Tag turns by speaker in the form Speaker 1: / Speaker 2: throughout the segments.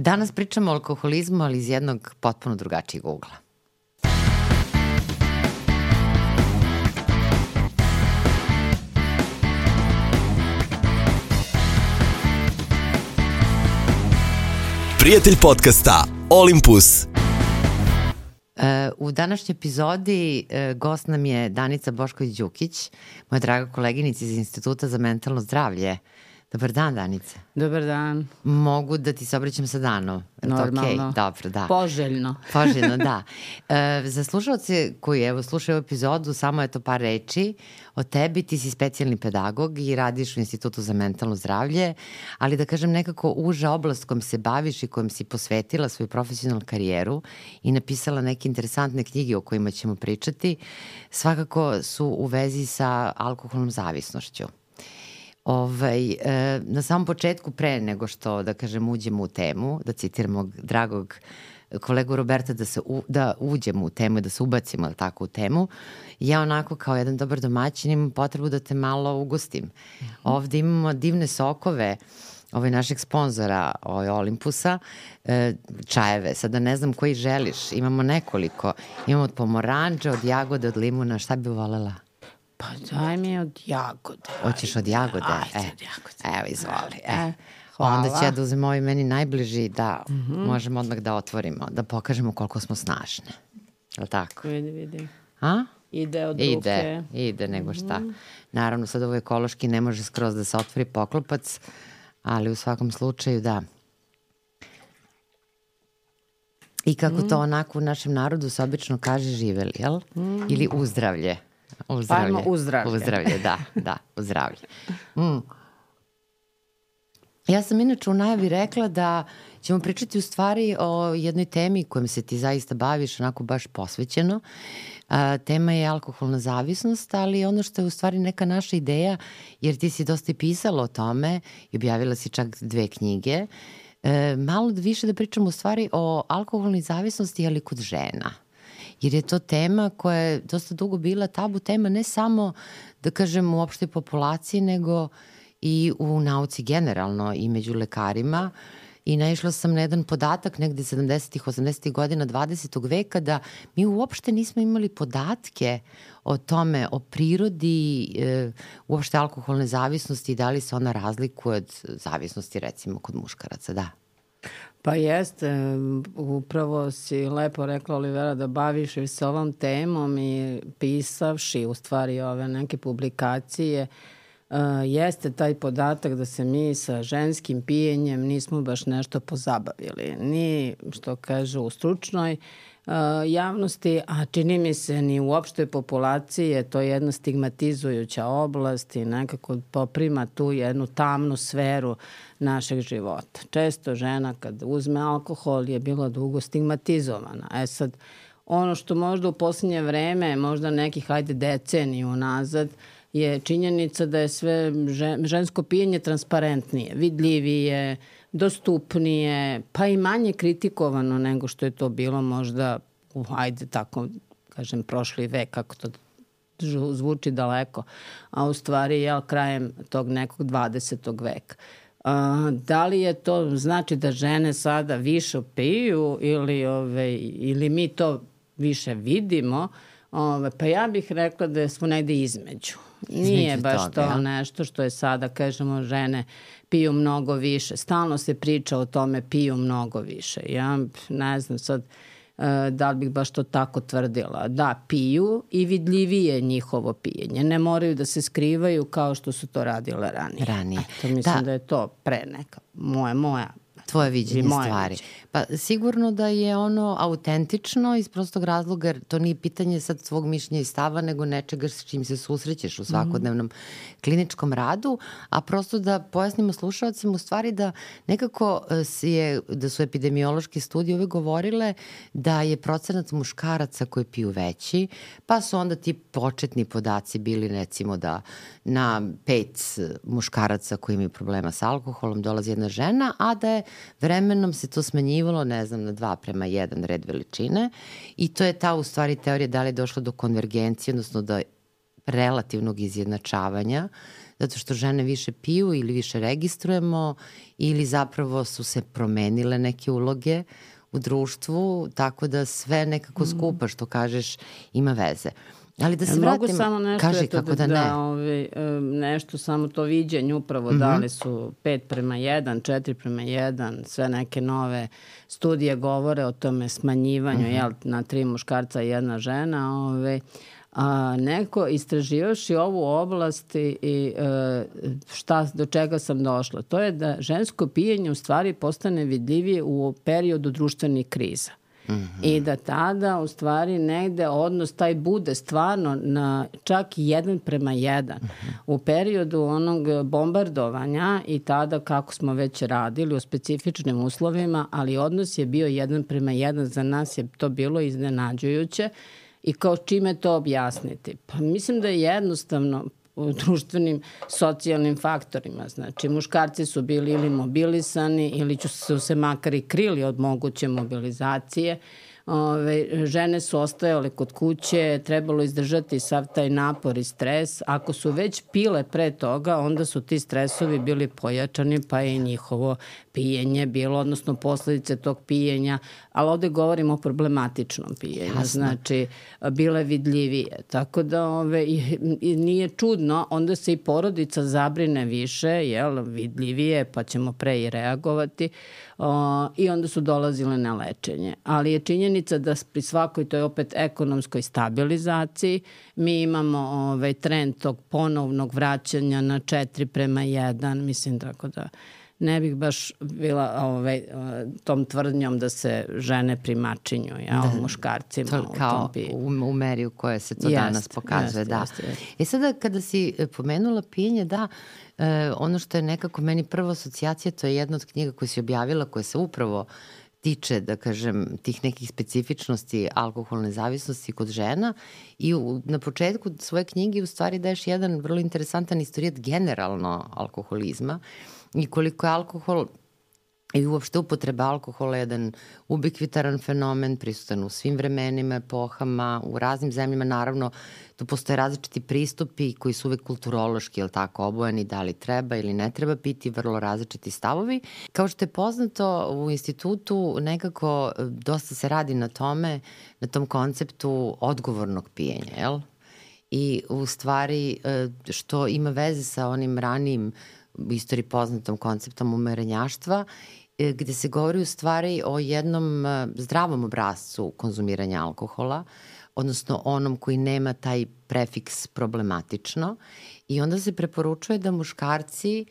Speaker 1: Danas pričamo o alkoholizmu, ali iz jednog potpuno drugačijeg ugla.
Speaker 2: Prijatelj podcasta Olympus.
Speaker 1: U današnjoj epizodi gost nam je Danica Bošković-Đukić, moja draga koleginica iz Instituta za mentalno zdravlje. Dobar dan, Danica.
Speaker 3: Dobar dan.
Speaker 1: Mogu da ti se obraćam sa danom?
Speaker 3: Normalno.
Speaker 1: Okay? Dobro, da.
Speaker 3: Poželjno.
Speaker 1: Poželjno, da. Za slušalce koji slušaju epizodu, samo je to par reči o tebi. Ti si specijalni pedagog i radiš u Institutu za mentalno zdravlje, ali da kažem nekako uža oblast kojom se baviš i kojom si posvetila svoju profesionalnu karijeru i napisala neke interesantne knjige o kojima ćemo pričati, svakako su u vezi sa alkoholnom zavisnošću. Na samom početku, pre nego što, da kažem, uđemo u temu, da citiram mog dragog kolegu Roberta, da uđemo u temu i da se ubacimo tako u temu, ja onako kao jedan dobar domaćin imam potrebu da te malo ugostim. Ovde imamo divne sokove našeg sponzora Olympusa, čajeve, sada ne znam koji želiš, imamo nekoliko, imamo od pomoranđa, od jagode, od limuna, šta bi volela?
Speaker 3: Pa daj mi od jagode.
Speaker 1: Hoćeš od jagode?
Speaker 3: Ajde, od jagode.
Speaker 1: Evo, izvoli.
Speaker 3: Hvala.
Speaker 1: Onda ću ja da uzem ovaj meni najbliži da možemo odmah da otvorimo, da pokažemo koliko smo snažne. Je li tako?
Speaker 3: Vidi.
Speaker 1: A?
Speaker 3: Ide od ruke.
Speaker 1: Ide nego šta. Naravno, sad ovo ekološki ne može skroz da se otvori poklopac, ali u svakom slučaju da. I kako to onako u našem narodu se obično kaže živeli, jel? Ili uzdravlje.
Speaker 3: Pajmo uzdravlje.
Speaker 1: Uzdravlje, da, uzdravlje. Ja sam inače u najavi rekla da ćemo pričati u stvari o jednoj temi kojom se ti zaista baviš onako baš posvećeno. Tema je alkoholna zavisnost, ali ono što je u stvari neka naša ideja, jer ti si dosta i pisala o tome i objavila si čak 2 knjige, malo više da pričamo u stvari o alkoholnoj zavisnosti, ali kod žena. Jer je to tema koja je dosta dugo bila tabu tema, ne samo, da kažem, u opštoj populaciji, nego i u nauci generalno i među lekarima. I naišla sam na jedan podatak negde 70-ih, 80-ih godina 20. veka da mi uopšte nismo imali podatke o tome, o prirodi uopšte alkoholne zavisnosti i da li se ona razlikuje od zavisnosti recimo kod muškaraca, da.
Speaker 3: Pa jeste, upravo si lepo rekla, Olivera, da baviš se ovom temom i pisavši u stvari ove neke publikacije, jeste taj podatak da se mi sa ženskim pijenjem nismo baš nešto pozabavili. Ni, što kažu, u stručnoj javnosti, a čini mi se ni u opštoj populaciji je to jedna stigmatizujuća oblast i nekako poprima tu jednu tamnu sferu našeg života. Često žena kad uzme alkohol je bila dugo stigmatizovana. Sad, ono što možda u posljednje vreme, možda nekih deceniju nazad, je činjenica da je sve žensko pijenje transparentnije, vidljivije, dostupnije, pa i manje kritikovano nego što je to bilo možda tako kažem prošli vek, kako to zvuči daleko, a u stvari krajem tog nekog 20. veka. Da li je to znači da žene sada više piju ili mi to više vidimo? Pa ja bih rekla da smo negde između. Nije baš to nešto što je sada, kažemo, žene piju mnogo više. Stalno se priča o tome piju mnogo više. Ja ne znam sad da li bih baš to tako tvrdila. Da, piju i vidljivije njihovo pijenje. Ne moraju da se skrivaju kao što su to radile ranije. Mislim da je to pre neka moja
Speaker 1: tvoje viđenje stvari. Pa sigurno da je ono autentično iz prostog razloga, jer to nije pitanje sad svog mišljenja i stava, nego nečega s čim se susrećeš u svakodnevnom kliničkom radu, a prosto da pojasnimo slušalcima u stvari da nekako da su epidemiološke studije uvek govorile da je procenat muškaraca koji piju veći, pa su onda ti početni podaci bili recimo da na 5 muškaraca koji imaju problema sa alkoholom dolazi jedna žena, a da je vremenom se to smanjivalo, ne znam, na 2:1 red veličine i to je ta u stvari teorija da li je došlo do konvergencije, odnosno do relativnog izjednačavanja zato što žene više piju ili više registrujemo ili zapravo su se promenile neke uloge u društvu, tako da sve nekako skupa, što kažeš, ima veze. Ali da se vratim,
Speaker 3: samo nešto,
Speaker 1: kaži kako da ne.
Speaker 3: Nešto, samo to viđenje upravo, da li su 5:1, 4:1, sve neke nove studije govore o tome smanjivanju, na 3 muškarca i 1 žena, a neko istraživaši ovu oblast i do čega sam došla. To je da žensko pijenje u stvari postane vidljivije u periodu društvenih kriza. I da tada u stvari negde odnos taj bude stvarno na čak 1:1. U periodu onog bombardovanja i tada kako smo već radili u specifičnim uslovima, ali odnos je bio 1:1. Za nas je to bilo iznenađujuće. I kao čime to objasniti? Pa mislim da je jednostavno u društvenim socijalnim faktorima. Znači, muškarci su bili ili mobilisani ili su se makar i krili od moguće mobilizacije. Žene su ostajale kod kuće, trebalo izdržati sav taj napor i stres. Ako su već pile pre toga, onda su ti stresovi bili pojačani, pa je njihovo pijenje bilo, odnosno posledice tog pijenja, ali ovde govorimo o problematičnom pijenju, znači bile vidljivije. Tako da nije čudno, onda se i porodica zabrine više, vidljivije, pa ćemo pre i reagovati, i onda su dolazile na lečenje. Ali je činjenica da pri svakoj toj opet ekonomskoj stabilizaciji mi imamo trend tog ponovnog vraćanja na 4:1, mislim, tako da ne bih baš bila tom tvrdnjom da se žene primačinju muškarcima u tom pijenju.
Speaker 1: U meri u kojoj se to danas pokazuje. Sada kada si pomenula pijenje, ono što je nekako meni prva asocijacija, to je jedna od knjiga koju si objavila, koja se upravo tiče, da kažem, tih nekih specifičnosti alkoholne zavisnosti kod žena, i na početku svoje knjige u stvari daješ jedan vrlo interesantan istorijat generalno alkoholizma i koliko je alkohol i uopšte upotreba alkohola jedan ubikvitaran fenomen, prisutan u svim vremenima, epohama, u raznim zemljama. Naravno, tu postoje različiti pristupi koji su uvek kulturološki, obojeni, da li treba ili ne treba piti, vrlo različiti stavovi. Kao što je poznato, u institutu nekako dosta se radi na tome, na tom konceptu odgovornog pijenja, jel? I u stvari što ima veze sa onim ranijim u istoriji poznatom konceptom umerenjaštva, gde se govori u stvari o jednom zdravom obrascu konzumiranja alkohola, odnosno onom koji nema taj prefiks problematično, i onda se preporučuje da muškarci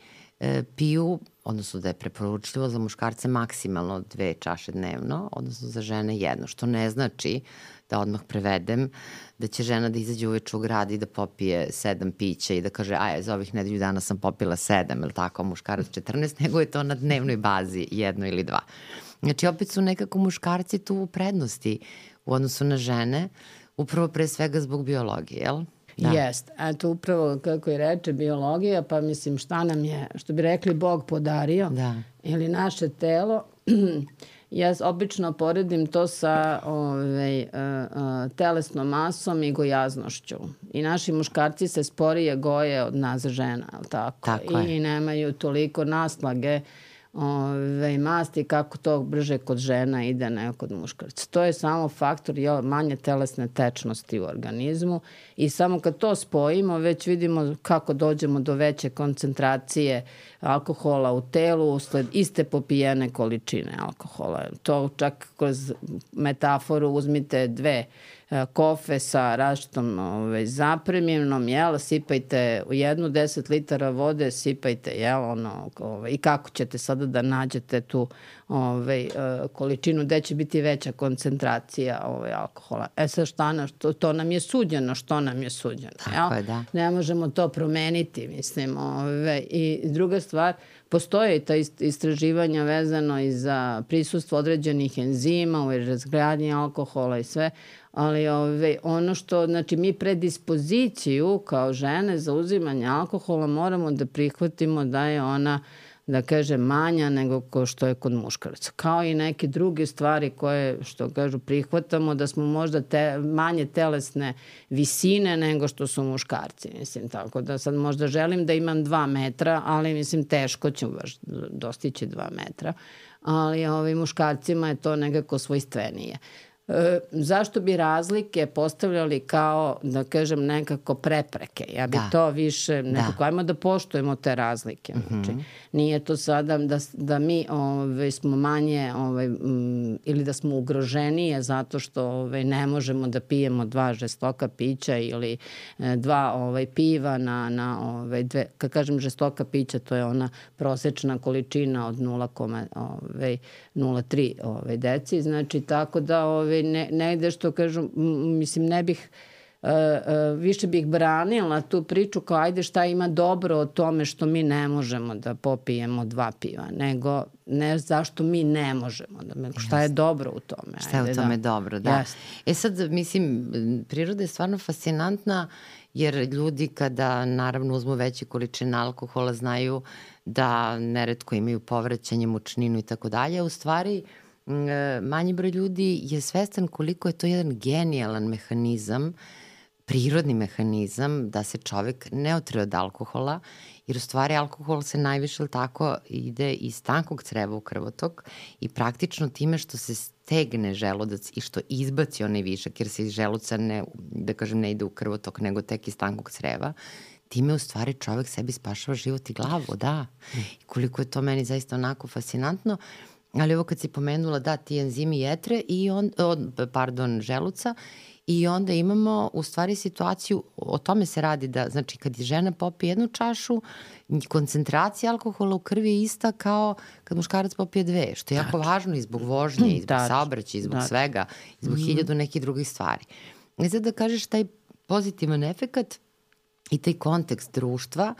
Speaker 1: piju, odnosno da je preporučljivo za muškarce maksimalno 2 čaše dnevno, odnosno za žene 1, što ne znači, da odmah prevedem, da će žena da izađe uveče u grad i da popije 7 pića i da kaže, za ovih nedelju dana sam popila 7, ili tako, muškarac 14, nego je to na dnevnoj bazi 1 ili 2. Znači, opet su nekako muškarci tu u prednosti u odnosu na žene, upravo pre svega zbog biologije, jel?
Speaker 3: Jest. Eto, upravo kako je reče biologija, pa mislim šta nam je, što bi rekli, Bog podario, ili naše telo. Ja obično poredim to sa telesnom masom i gojaznošću. I naši muškarci se sporije goje od nas žena, tako? I nemaju toliko naslage masti kako to brže kod žena ide nego kod muškarca. To je samo faktor manje telesne tečnosti u organizmu, i samo kad to spojimo već vidimo kako dođemo do veće koncentracije alkohola u telu usled iste popijene količine alkohola. To čak kroz metaforu uzmite 2 kofe sa različitom zapremljenom, sipajte u 10 litara vode, sipajte, i kako ćete sada da nađete tu količinu gde će biti veća koncentracija alkohola. Sad to nam je suđeno, što nam je suđeno.
Speaker 1: Tako je, da.
Speaker 3: Ne možemo to promeniti, mislim. I druga stvar, postoje i ta istraživanja vezano i za prisustvo određenih enzima u razgradnji alkohola i sve, ali ono što, znači, mi predispoziciju kao žene za uzimanje alkohola moramo da prihvatimo da je ona da kažem, manja nego ko što je kod muškaraca. Kao i neke druge stvari koje, što kažu, prihvatamo da smo možda manje telesne visine nego što su muškarci. Mislim, tako da sad možda želim da imam 2 metra, ali mislim teško ću baš dostići 2 metra. Ali muškarcima je to nekako svojstvenije. Zašto bi razlike postavljali kao, da kažem, nekako prepreke? Ja bi to više, nekako, ajmo da poštujemo te razlike. Znači, nije to sada da mi smo manje ili da smo ugroženije zato što ne možemo da pijemo 2 žestoka pića ili 2 piva na kad kažem žestoka pića, to je ona prosečna količina od 0,03 deci. Znači, tako da negde što kažu, mislim, ne bih, više bih branila tu priču kao ajde šta ima dobro o tome što mi ne možemo da popijemo 2 piva, nego ne zašto mi ne možemo, šta je dobro u tome.
Speaker 1: Šta je u tome dobro, da. Sad, mislim, priroda je stvarno fascinantna, jer ljudi kada naravno uzmu veće količine alkohola znaju da neretko imaju povraćanje, mučninu i tako dalje. U stvari, manji broj ljudi je svestan koliko je to jedan genijalan mehanizam, prirodni mehanizam da se čovek ne otre od alkohola, jer u stvari alkohol se najviše tako ide iz tankog creva u krvotok i praktično time što se stegne želudac i što izbaci onaj višak, jer se iz želuca ne ide u krvotok, nego tek iz tankog creva, time u stvari čovek sebi spašava život i glavu, da. I koliko je to meni zaista onako fascinantno. Ali ovo kad si pomenula, ti enzimi jetre želuca, i onda imamo u stvari situaciju, o tome se radi da, znači kad žena popije 1 čašu, koncentracija alkohola u krvi je ista kao kad muškarac popije 2, što je jako važno i zbog vožnje, i zbog saobraćaja, i zbog svega, i zbog 1000 nekih drugih stvari. I sad da kažeš taj pozitivan efekat i taj kontekst društva,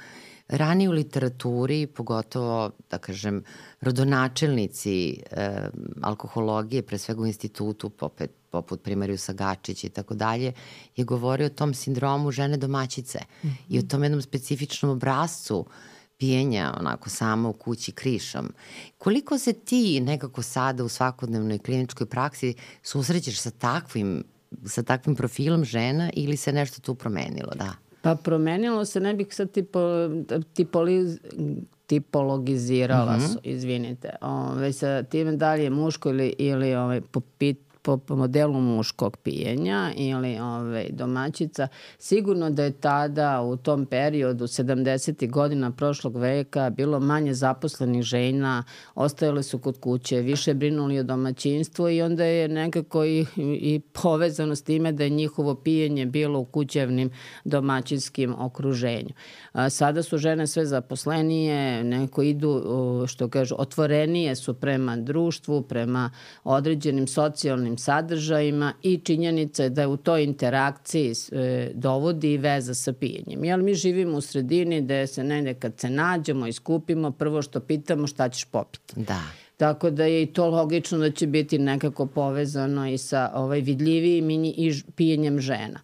Speaker 1: ranije u literaturi, pogotovo, da kažem, rodonačelnici alkohologije, pre svega u institutu, poput primarijusa Gačić i tako dalje, je govorio o tom sindromu žene domaćice i o tom jednom specifičnom obrazcu pijenja, onako samo u kući krišom. Koliko se ti nekako sada u svakodnevnoj kliničkoj praksi susrećeš sa takvim profilom žena ili se nešto tu promenilo, da?
Speaker 3: Pa promenilo se, ne bih sad tipologizirala, izvinite, sa time da li je muško ili po modelu muškog pijenja ili domaćica. Sigurno da je tada u tom periodu 70. godina prošlog veka bilo manje zaposlenih žena, ostajale su kod kuće, više brinuli o domaćinstvu i onda je nekako i povezano s time da je njihovo pijenje bilo u kućevnim domaćinskim okruženju. Sada su žene sve zaposlenije, neko idu, što kažu, otvorenije su prema društvu, prema određenim socijalnim sadržajima i činjenica je da je u toj interakciji dovodi i veza sa pijenjem. Jer mi živimo u sredini gde se negde kad se nađemo i skupimo, prvo što pitamo šta ćeš popiti.
Speaker 1: Da.
Speaker 3: Tako da je i to logično da će biti nekako povezano i sa vidljivijim i pijenjem žena.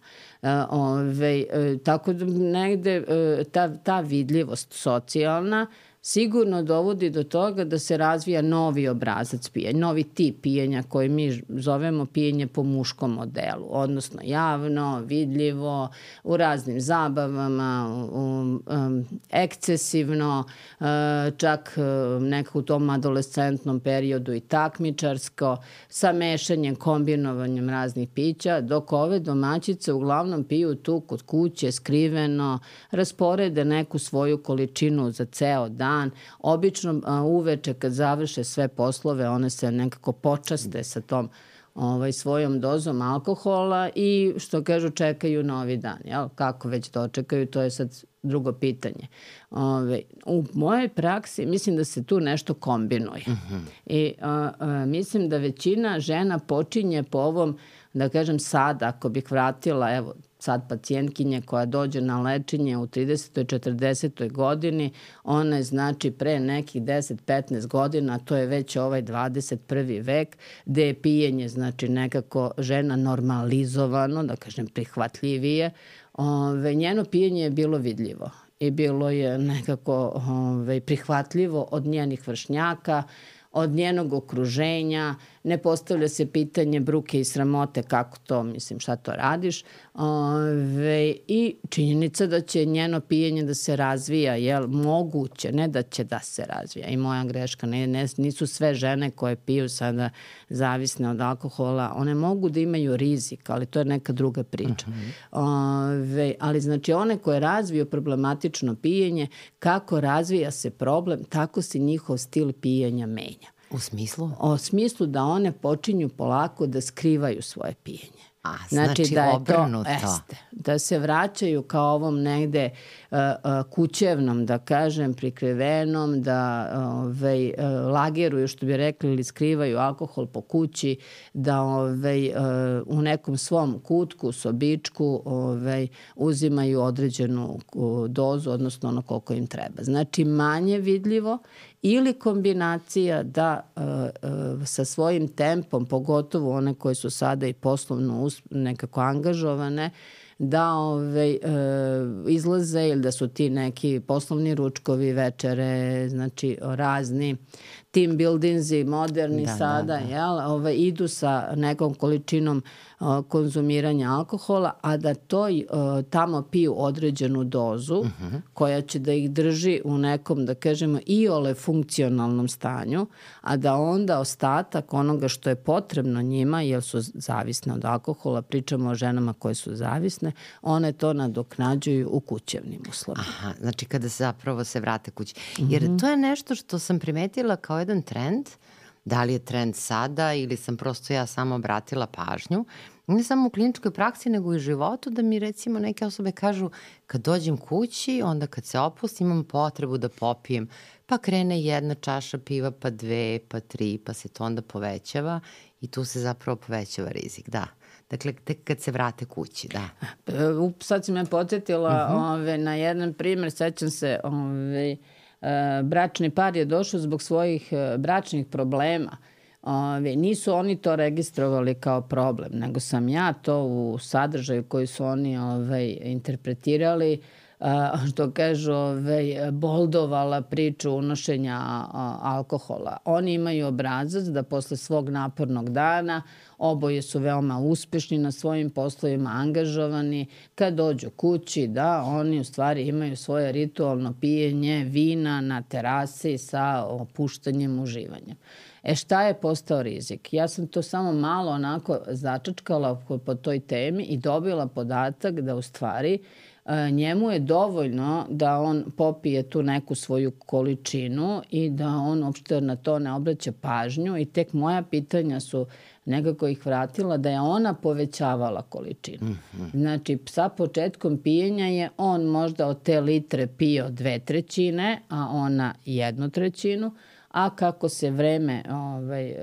Speaker 3: Tako da negde ta vidljivost socijalna sigurno dovodi do toga da se razvija novi obrazac pijenja, novi tip pijenja koji mi zovemo pijenje po muškom modelu, odnosno javno, vidljivo, u raznim zabavama, ekscesivno, čak nekako u tom adolescentnom periodu i takmičarsko, sa mešanjem, kombinovanjem raznih pića, dok ove domaćice uglavnom piju tu kod kuće, skriveno, rasporede neku svoju količinu za ceo dan. Obično uveče kad završe sve poslove, one se nekako počaste sa tom svojom dozom alkohola i što kažu čekaju novi dan. Kako već dočekaju, to je sad drugo pitanje. U mojoj praksi mislim da se tu nešto kombinuje. I mislim da većina žena počinje po ovom, da kažem sad, ako bih vratila, evo, sad pacijentkinje koja dođe na lečenje u 30. 40. godini, ona je znači pre nekih 10-15 godina, to je već 21. vek, gde je pijenje znači nekako žena normalizovano, da kažem prihvatljivije, njeno pijenje je bilo vidljivo. i bilo je nekako prihvatljivo od njenih vršnjaka, od njenog okruženja, ne postavlja se pitanje bruke i sramote kako to, mislim, šta to radiš. I činjenica da će njeno pijenje da se razvija, jel, moguće, ne da će da se razvija. I moja greška, nisu sve žene koje piju sada zavisne od alkohola, one mogu da imaju rizik, ali to je neka druga priča. Ali znači one koje razviju problematično pijenje, kako razvija se problem, tako se njihov stil pijenja menja.
Speaker 1: U smislu?
Speaker 3: U smislu da one počinju polako da skrivaju svoje pijenje.
Speaker 1: Znači da je obrnuto.
Speaker 3: Da se vraćaju kao ovom negde kućevnom, da kažem, prikrivenom, da lageruju, što bi rekli, ili skrivaju alkohol po kući, da u nekom svom kutku, sobičku uzimaju određenu dozu, odnosno ono koliko im treba. Znači manje vidljivo ili kombinacija da sa svojim tempom, pogotovo one koje su sada i poslovno nekako angažovane, da izlaze ili da su ti neki poslovni ručkovi, večere, znači razni team buildingsi, moderni sada, jel, idu sa nekom količinom konzumiranja alkohola, a da to tamo piju određenu dozu koja će da ih drži u nekom, da kažemo, iole funkcionalnom stanju, a da onda ostatak onoga što je potrebno njima, jer su zavisne od alkohola, pričamo o ženama koje su zavisne, one to nadoknađuju u kućevnim uslovima.
Speaker 1: Aha, znači kada zapravo se vrate kući. Jer to je nešto što sam primetila kao jedan trend, da li je trend sada ili sam prosto ja samo obratila pažnju, ne samo u kliničkoj praksi, nego i u životu, da mi recimo neke osobe kažu kad dođem kući, onda kad se opustim imam potrebu da popijem, pa krene 1 čaša piva, pa 2, pa 3, pa se to onda povećava i tu se zapravo povećava rizik, da. Dakle, tek kad se vrate kući, da.
Speaker 3: Sad si me podsjetila na jedan primjer, sećam se, bračni par je došao zbog svojih bračnih problema. Nisu oni to registrovali kao problem, nego sam ja to u sadržaju koji su oni interpretirali, što kažu, boldovala priču unošenja alkohola. Oni imaju obrazac da posle svog napornog dana, oboje su veoma uspešni na svojim poslovima, angažovani, kad dođu kući, da oni u stvari imaju svoje ritualno pijenje vina na terasi sa opuštanjem, uživanjem. Šta je postao rizik? Ja sam to samo malo onako začačkala po toj temi i dobila podatak da u stvari njemu je dovoljno da on popije tu neku svoju količinu i da on uopšte na to ne obraća pažnju i tek moja pitanja su nekako ih vratila da je ona povećavala količinu. Znači, sa početkom pijenja je on možda od te litre pio 2/3, a ona 1/3, a kako se vreme,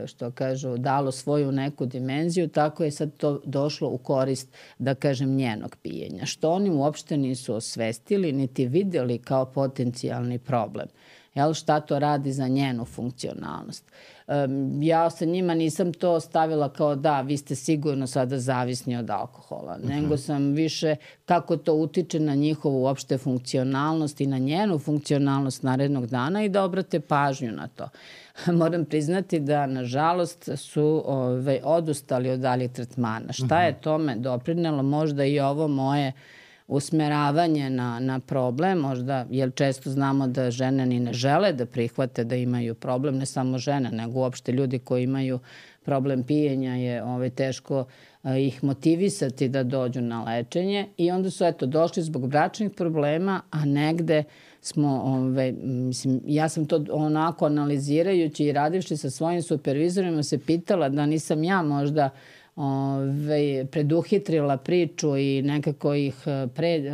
Speaker 3: što kažu, dalo svoju neku dimenziju, tako je sad to došlo u korist, da kažem, njenog pijenja. Što oni uopšte nisu osvestili, niti videli kao potencijalni problem. Jel, šta to radi za njenu funkcionalnost. Ja sa njima nisam to stavila kao da, vi ste sigurno sada zavisni od alkohola, nego sam više kako to utiče na njihovu uopšte funkcionalnost i na njenu funkcionalnost narednog dana i da obrate pažnju na to. Moram priznati da, nažalost, su odustali od daljih tretmana. Šta je tome doprinelo? Možda i ovo moje usmeravanje na problem, možda, jer često znamo da žene ni ne žele da prihvate da imaju problem, ne samo žene, nego uopšte ljudi koji imaju problem pijenja je teško ih motivisati da dođu na lečenje i onda su došli zbog bračnih problema, a negde smo, mislim, ja sam to onako analizirajući i radivši sa svojim supervizorima se pitala da nisam ja možda preduhitrila priču i nekako ih,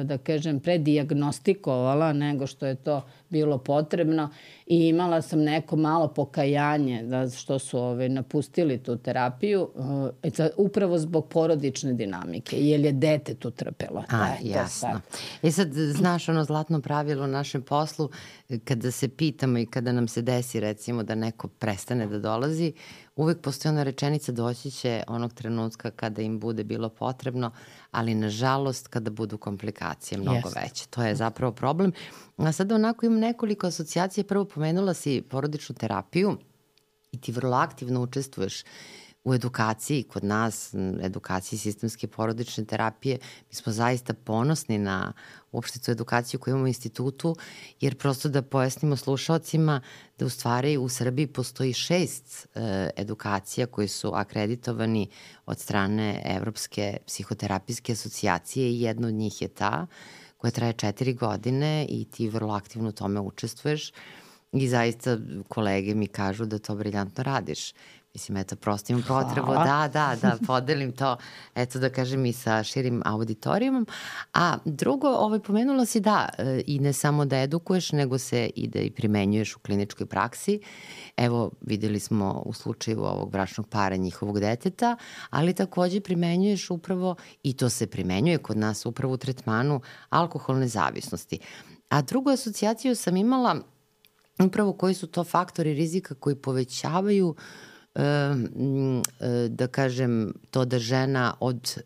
Speaker 3: da kažem, predijagnostikovala nego što je to bilo potrebno i imala sam neko malo pokajanje da što su napustili tu terapiju upravo zbog porodične dinamike, jer je dete tu trpelo.
Speaker 1: Jasno. Sad, znaš ono zlatno pravilo u našem poslu, kada se pitamo i kada nam se desi recimo da neko prestane da dolazi, uvek postoji ona rečenica doći će onog trenutka kada im bude bilo potrebno, ali nažalost kada budu komplikacije mnogo veće. To je zapravo problem. A sad onako imam nekoliko asocijacije. Prvo pomenula si porodičnu terapiju i ti vrlo aktivno učestvuješ u edukaciji kod nas, edukaciji sistemske porodične terapije. Mi smo zaista ponosni na uopšte tu edukaciju koju imamo u institutu, jer prosto da pojasnimo slušalcima da u stvari u Srbiji postoji 6 edukacija koji su akreditovani od strane Evropske psihoterapijske asocijacije i jedna od njih je ta koja traje 4 godine i ti vrlo aktivno u tome učestvuješ i zaista kolege mi kažu da to briljantno radiš. Mislim, eto, prosto imam potrebu da podelim to, eto da kažem i sa širim auditorijumom. A drugo, pomenula si i ne samo da edukuješ, nego se i da i primenjuješ u kliničkoj praksi. Evo, videli smo u slučaju ovog bračnog para njihovog deteta, ali takođe primenjuješ upravo, i to se primenjuje kod nas upravo u tretmanu alkoholne zavisnosti. A drugu asocijaciju sam imala upravo koji su to faktori rizika koji povećavaju da kažem to da žena od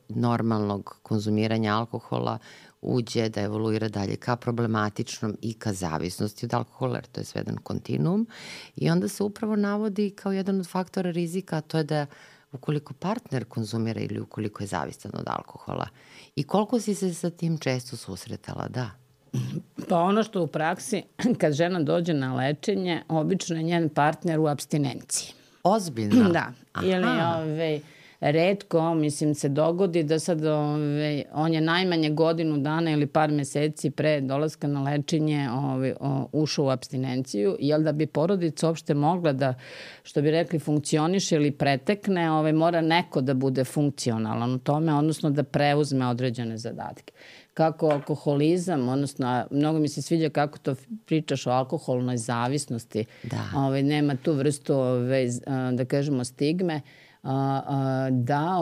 Speaker 1: normalnog konzumiranja alkohola uđe da evoluira dalje ka problematičnom i ka zavisnosti od alkohola, jer to je sve jedan kontinuum i onda se upravo navodi kao jedan od faktora rizika, a to je da ukoliko partner konzumira ili ukoliko je zavistan od alkohola. I koliko si se sa tim često susretala,
Speaker 3: Pa ono što u praksi, kad žena dođe na lečenje, obično je njen partner u apstinenciji.
Speaker 1: Ozbiljno?
Speaker 3: Da. Ili retko, mislim, se dogodi da sad on je najmanje godinu dana ili par meseci pre dolaska na lečenje ušao u apstinenciju, jer da bi porodica uopšte mogla da, što bi rekli, funkcioniše ili pretekne, mora neko da bude funkcionalan u tome, odnosno da preuzme određene zadatke. Kako alkoholizam, odnosno mnogo mi se sviđa kako to pričaš o alkoholnoj zavisnosti. Nema tu vrstu, da kažemo, stigme, da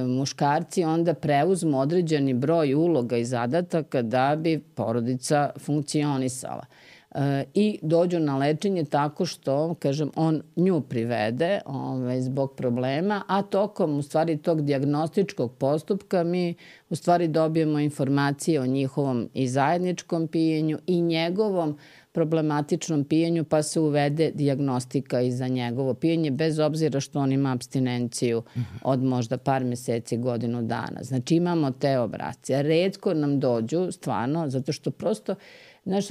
Speaker 3: muškarci onda preuzmu određeni broj uloga i zadataka da bi porodica funkcionisala. I dođu na lečenje tako što, kažem, on nju privede zbog problema, a tokom u stvari tog dijagnostičkog postupka mi u stvari dobijemo informacije o njihovom i zajedničkom pijenju i njegovom problematičnom pijenju, pa se uvede dijagnostika i za njegovo pijenje, bez obzira što on ima apstinenciju od možda par meseci, godinu dana. Znači imamo te obrasce. Retko nam dođu, stvarno, zato što prosto znaš,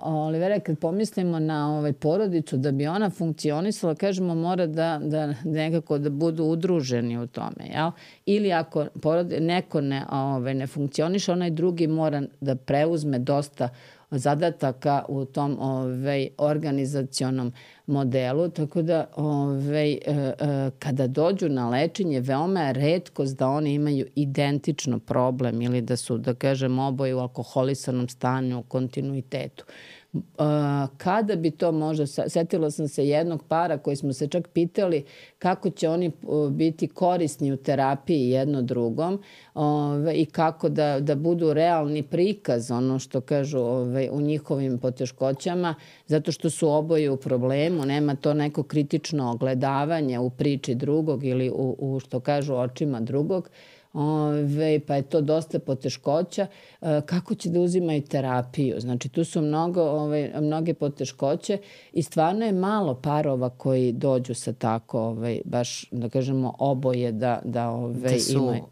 Speaker 3: Olivera, kad pomislimo na porodicu, da bi ona funkcionisala, kažemo, mora da nekako da budu udruženi u tome, jel? Ili ako neko ne funkcioniše, onaj drugi mora da preuzme dosta zadataka u tom organizacionom modelu, tako da kada dođu na lečenje, veoma je retkost da oni imaju identično problem ili da su, da kažem, oboje u alkoholisanom stanju u kontinuitetu. Kada bi to možda, setila sam se jednog para koji smo se čak pitali kako će oni biti korisni u terapiji jedno drugom i kako da budu realni prikaz, ono što kažu u njihovim poteškoćama, zato što su oboje u problemu, nema to neko kritično ogledavanje u priči drugog ili u što kažu očima drugog, pa je to dosta poteškoća. Kako će da uzimaju terapiju? Znači, tu su mnoge poteškoće i stvarno je malo parova koji dođu sa tako, baš, da kažemo, oboje da imaju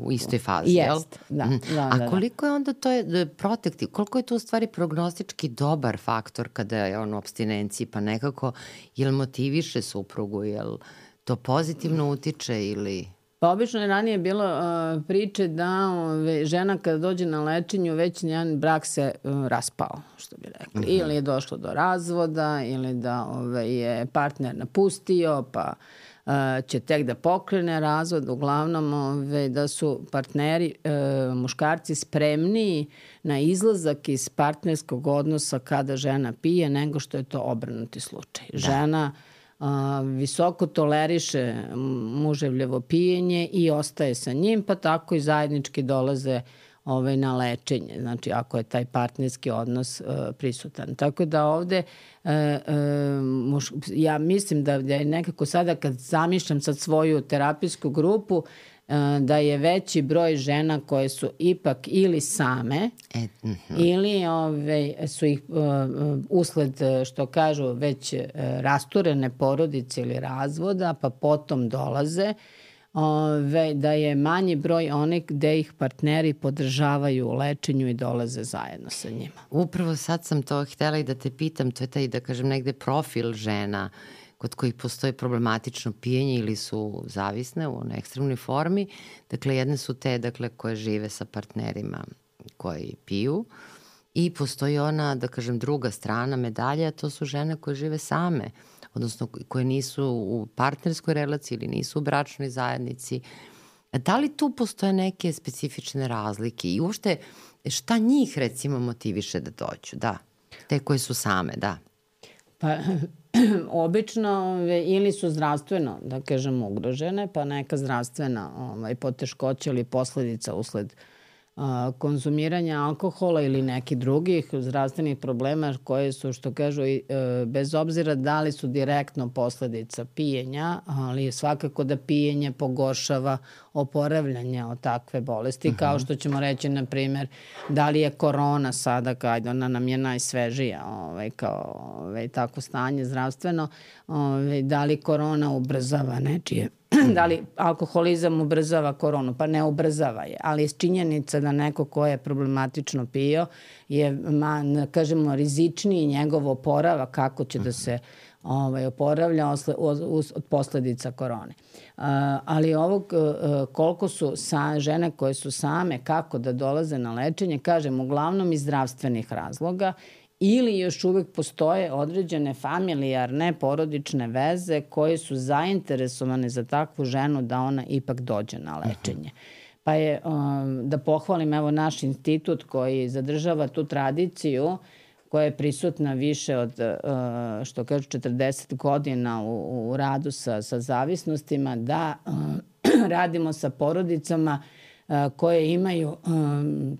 Speaker 1: u istoj fazi, jel?
Speaker 3: Da.
Speaker 1: A koliko je onda to protektiv, koliko je to u stvari prognostički dobar faktor kada je on u apstinenciji, pa nekako, jel motiviše suprugu, jel to pozitivno utiče ili...
Speaker 3: Pa obično je ranije bilo priče da žena kada dođe na lečenju već njen brak se raspao, što bi rekli. Ili je došlo do razvoda, ili da je partner napustio, pa će tek da pokrene razvod. Uglavnom da su partneri, muškarci spremniji na izlazak iz partnerskog odnosa kada žena pije nego što je to obrnuti slučaj. Da. Žena visoko toleriše muževljevo pijenje i ostaje sa njim, pa tako i zajednički dolaze na lečenje, znači ako je taj partnerski odnos prisutan. Tako da ovde ja mislim da je nekako sada kad zamišljam sad svoju terapijsku grupu, da je veći broj žena koje su ipak ili same ili su ih usled, što kažu, već rasturene porodice ili razvoda, pa potom dolaze, da je manji broj onih gde ih partneri podržavaju u lečenju i dolaze zajedno sa njima.
Speaker 1: Upravo sad sam to htela i da te pitam, to je taj, da kažem, negde profil žena kod kojih postoji problematično pijenje ili su zavisne u ekstremnoj formi. Dakle, jedne su te, dakle, koje žive sa partnerima koji piju i postoji ona, da kažem, druga strana medalje, a to su žene koje žive same, odnosno koje nisu u partnerskoj relaciji ili nisu u bračnoj zajednici. Da li tu postoje neke specifične razlike i uopšte šta njih recimo motiviše da dođu? Da, te koje su same, da.
Speaker 3: Pa obično ili su zdravstveno, da kažem, ugrožene, pa neka zdravstvena poteškoća ili posledica usled konzumiranja alkohola ili nekih drugih zdravstvenih problema koje su, što kažu, bez obzira da li su direktno posledica pijenja, ali svakako da pijenje pogoršava oporavljanje od takve bolesti, kao što ćemo reći, na primjer, da li je korona sada, kada ona nam je najsvežija, kao tako stanje zdravstveno, da li korona ubrzava nečije, da li alkoholizam ubrzava koronu? Pa ne ubrzava je, ali je činjenica da neko ko je problematično pio je, kažemo, rizičniji njegov oporavak, kako će da se oporavlja od posledica korone. Ali ovog, koliko su žene koje su same, kako da dolaze na lečenje, kažem, uglavnom iz zdravstvenih razloga, ili još uvek postoje određene familijarne porodične veze koje su zainteresovane za takvu ženu da ona ipak dođe na lečenje. Pa je, da pohvalim, evo, naš institut koji zadržava tu tradiciju koja je prisutna više od, što kažu, 40 godina u radu sa zavisnostima, da radimo sa porodicama koje imaju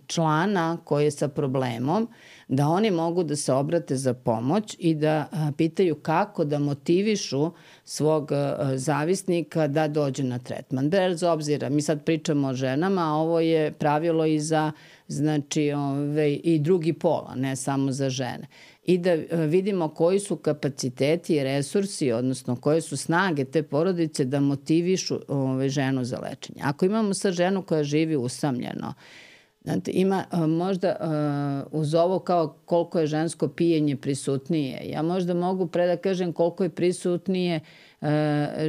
Speaker 3: člana koji je sa problemom, da oni mogu da se obrate za pomoć i da pitaju kako da motivišu svog zavisnika da dođe na tretman. Bez obzira, mi sad pričamo o ženama, a ovo je pravilo i za, znači, i drugi pol, ne samo za žene. I da vidimo koji su kapaciteti i resursi, odnosno koje su snage te porodice da motivišu ženu za lečenje. Ako imamo sad ženu koja živi usamljeno, znate, ima možda uz ovo kao koliko je žensko pijenje prisutnije. Ja možda mogu da kažem koliko je prisutnije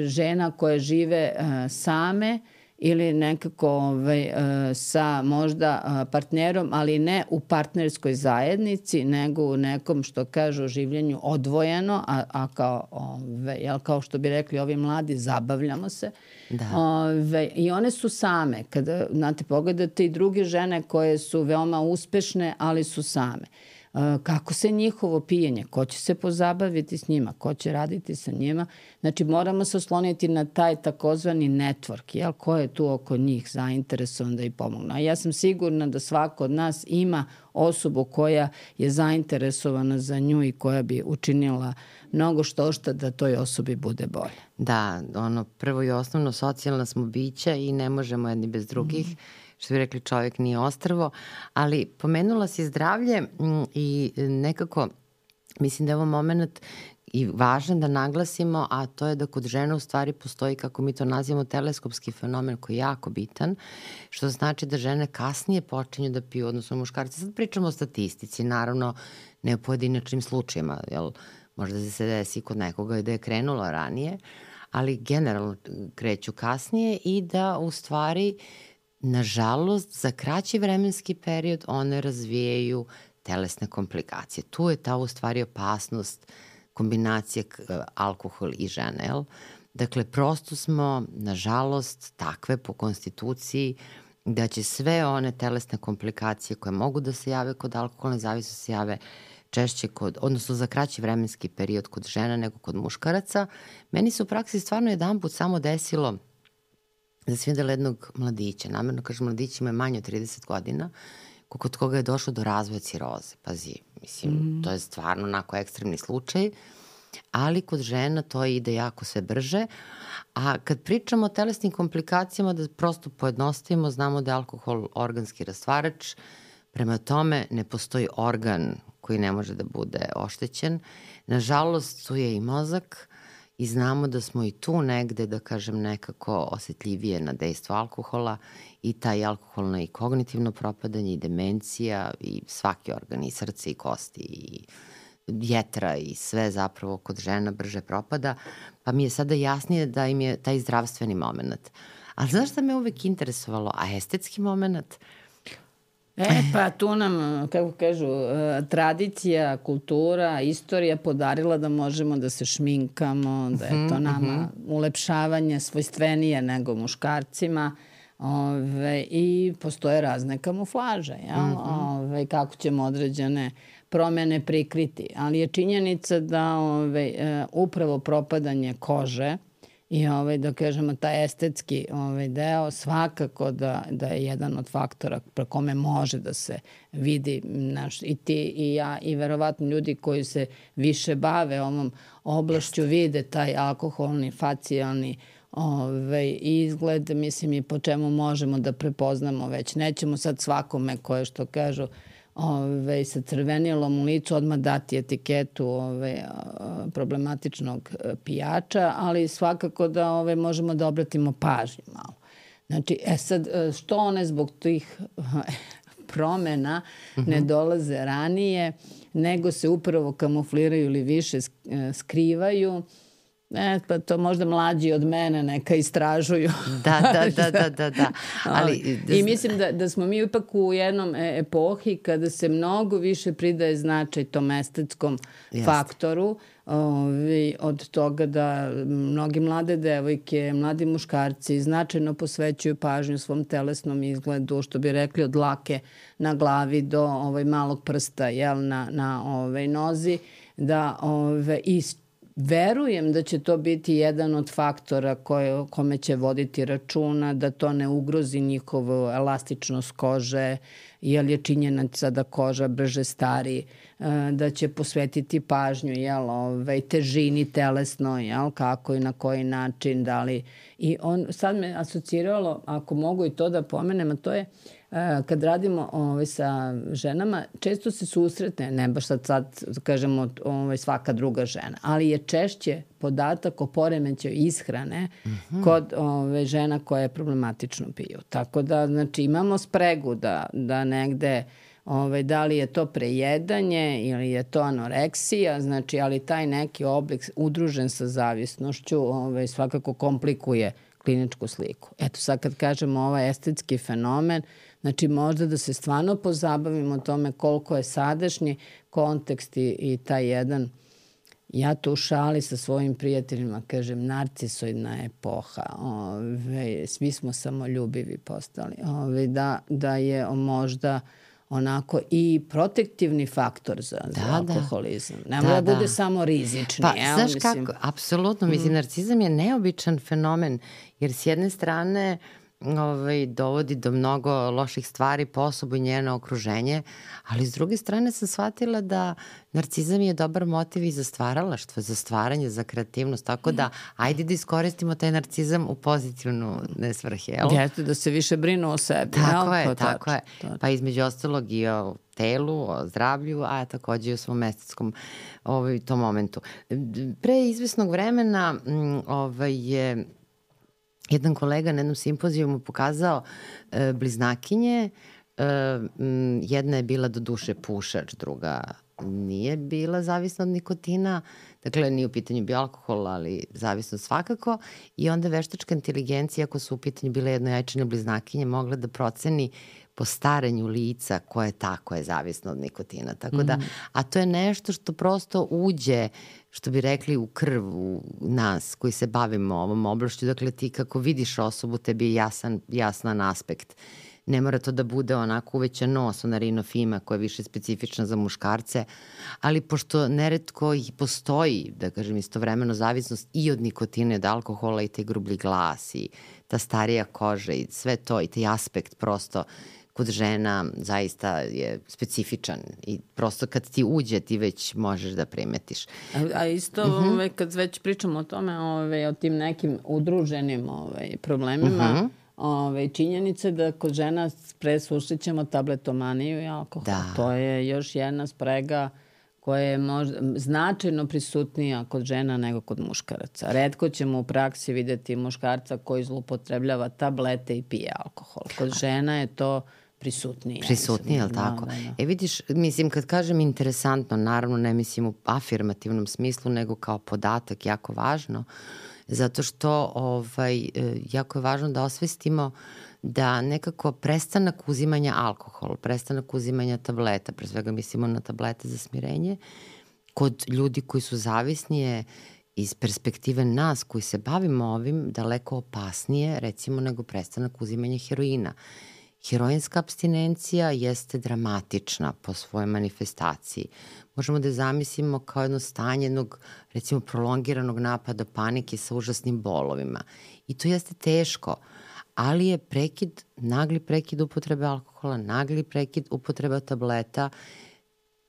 Speaker 3: žena koje žive same ili nekako sa možda partnerom, ali ne u partnerskoj zajednici, nego u nekom, što kažu, življenju odvojeno, a kao što bi rekli ovi mladi, zabavljamo se. Da. I one su same. Kada, znate, pogledate i druge žene koje su veoma uspešne, ali su same. Kako se njihovo pijenje, ko će se pozabaviti s njima, ko će raditi sa njima. Znači, moramo se osloniti na taj takozvani network, ko je tu oko njih zainteresovan da ih pomogne. A ja sam sigurna da svako od nas ima osobu koja je zainteresovana za nju i koja bi učinila mnogo što da toj osobi bude bolje.
Speaker 1: Da, prvo i osnovno, socijalna smo bića i ne možemo jedni bez drugih. Što bi rekli, čovjek nije ostrvo, ali pomenula si zdravlje i nekako mislim da je ovo moment i važan da naglasimo, a to je da kod žena u stvari postoji, kako mi to nazivamo, teleskopski fenomen koji je jako bitan, što znači da žene kasnije počinju da piju, odnosno muškarci. Sad pričamo o statistici, naravno ne o pojedinačnim slučajima, jel možda se desi kod nekoga da je krenulo ranije, ali generalno kreću kasnije i da u stvari, nažalost, za kraći vremenski period one razvijaju telesne komplikacije. Tu je ta u stvari opasnost kombinacije alkohol i žene, jel? Dakle, prosto smo, nažalost, takve po konstituciji da će sve one telesne komplikacije koje mogu da se jave kod alkoholne zavisnosti se jave češće odnosno za kraći vremenski period kod žena nego kod muškaraca. Meni se u praksi stvarno jedanput samo desilo da sam videla jednog mladića, namerno kažem mladić ima manje od 30 godina, kod koga je došlo do razvoja ciroze. Pazi, mislim, to je stvarno onako ekstremni slučaj, ali kod žena to ide jako sve brže. A kad pričamo o telesnim komplikacijama, da prosto pojednostavimo, znamo da je alkohol organski rastvarač, prema tome ne postoji organ koji ne može da bude oštećen. Nažalost, tu je i mozak i znamo da smo i tu negde, da kažem, nekako osetljivije na dejstvo alkohola i taj alkoholno i kognitivno propadanje i demencija i svaki organ, i srce i kosti i jetra i sve zapravo kod žena brže propada, pa mi je sada jasnije da im je taj zdravstveni moment. Ali znaš šta me uvek interesovalo? A estetski moment?
Speaker 3: Pa tu nam, kako kažu, tradicija, kultura, istorija podarila da možemo da se šminkamo, da je to nama ulepšavanje svojstvenije nego muškarcima. I postoje razne kamuflaže, kako ćemo određene promene prikriti. Ali je činjenica da upravo propadanje kože i da kažemo taj estetski deo svakako da je jedan od faktora pre kome može da se vidi i ti i ja i verovatno ljudi koji se više bave ovom oblašću vide taj alkoholni, facijalni izgled, mislim, i po čemu možemo da prepoznamo već. Nećemo sad svakome koje, što kažu, sa crvenilom u licu odmah dati etiketu problematičnog pijača, ali svakako da možemo da obratimo pažnju malo. Znači, sad, što one zbog tih promena ne dolaze ranije, nego se upravo kamufliraju ili više skrivaju, pa to možda mlađi od mene neka istražuju.
Speaker 1: Da.
Speaker 3: I mislim da smo mi ipak u jednom epohi kada se mnogo više pridaje značaj tom estetskom faktoru, od toga da mnogi mlade devojke, mladi muškarci značajno posvećuju pažnju svom telesnom izgledu, što bi rekli od dlake na glavi do malog prsta na nozi, da verujem da će to biti jedan od faktora kome će voditi računa, da to ne ugrozi njihovu elastičnost kože, jer je činjenica da koža brže stari, da će posvetiti pažnju težini telesno, kako i na koji način, da li. I sad me asociralo, ako mogu i to da pomenem, a to je kad radimo sa ženama, često se susretne, ne baš sad kažemo svaka druga žena, ali je češće podatak o poremećaju ishrane kod žena koje problematično piju. Tako da, znači, imamo spregu da negde da li je to prejedanje ili je to anoreksija, znači, ali taj neki oblik udružen sa zavisnošću svakako komplikuje kliničku sliku. Eto, sad kad kažemo ovaj estetski fenomen, znači možda da se stvarno pozabavimo tome koliko je sadašnji kontekst i taj jedan, ja to u šali sa svojim prijateljima kažem, narcisoidna epoha. Svi smo samoljubivi postali. Da je možda onako i protektivni faktor za alkoholizam. Ne mora da bude samo rizični.
Speaker 1: Pa, znaš kako, apsolutno, mislim, narcizam je neobičan fenomen, jer s jedne strane dovodi do mnogo loših stvari po osobu i njeno okruženje, ali s druge strane sam shvatila da narcizam je dobar motiv i za stvaralaštvo, za stvaranje, za kreativnost, tako da ajde da iskoristimo taj narcizam u pozitivnu svrhe.
Speaker 3: Jeste, da se više brinu o sebi.
Speaker 1: Tako je. Pa između ostalog i o telu, o zdravlju, a takođe i o svom estetskom tom momentu. Pre izvesnog vremena je jedan kolega na jednom simpozijumu pokazao bliznakinje. Jedna je bila do duše pušač, druga nije bila zavisna od nikotina. Dakle, nije u pitanju bio alkohol, ali zavisnost svakako. I onda veštačka inteligencija, ako su u pitanju bile jednojajčane bliznakinje, mogla da proceni po staranju lica ko je zavisno od nikotina. Tako da, a to je nešto što prosto uđe, što bi rekli, u krv u nas koji se bavimo ovom oblašću. Dakle, ti kako vidiš osobu, tebi je jasan aspekt. Ne mora to da bude onako uvećan nos, ona rinofima koja je više specifična za muškarce, ali pošto neretko i postoji, da kažem, istovremeno zavisnost i od nikotina, od alkohola i taj grublji glas i ta starija koža i sve to i taj aspekt prosto kod žena zaista je specifičan i prosto kad ti uđe ti već možeš da primetiš.
Speaker 3: A isto kad već pričamo o tome, o tim nekim udruženim problemima, činjenice da kod žena pre susrećemo tabletomaniju i alkohol. Da. To je još jedna sprega koja je značajno prisutnija kod žena nego kod muškaraca. Retko ćemo u praksi videti muškarca koji zloupotrebljava tablete i pije alkohol. Kod žena je to prisutnije.
Speaker 1: Prisutnije, ali tako? Da. Vidiš, mislim, kad kažem interesantno, naravno ne mislim u afirmativnom smislu, nego kao podatak jako važno, zato što jako je važno da osvestimo da nekako prestanak uzimanja alkohola, prestanak uzimanja tableta, pre svega mislimo na tablete za smirenje, kod ljudi koji su zavisni je iz perspektive nas koji se bavimo ovim daleko opasnije, recimo, nego prestanak uzimanja heroina. Heroinska apstinencija jeste dramatična po svojoj manifestaciji. Možemo da je zamislimo kao jedno stanje jednog, recimo, prolongiranog napada panike sa užasnim bolovima. I to jeste teško, ali je nagli prekid upotrebe alkohola, nagli prekid upotrebe tableta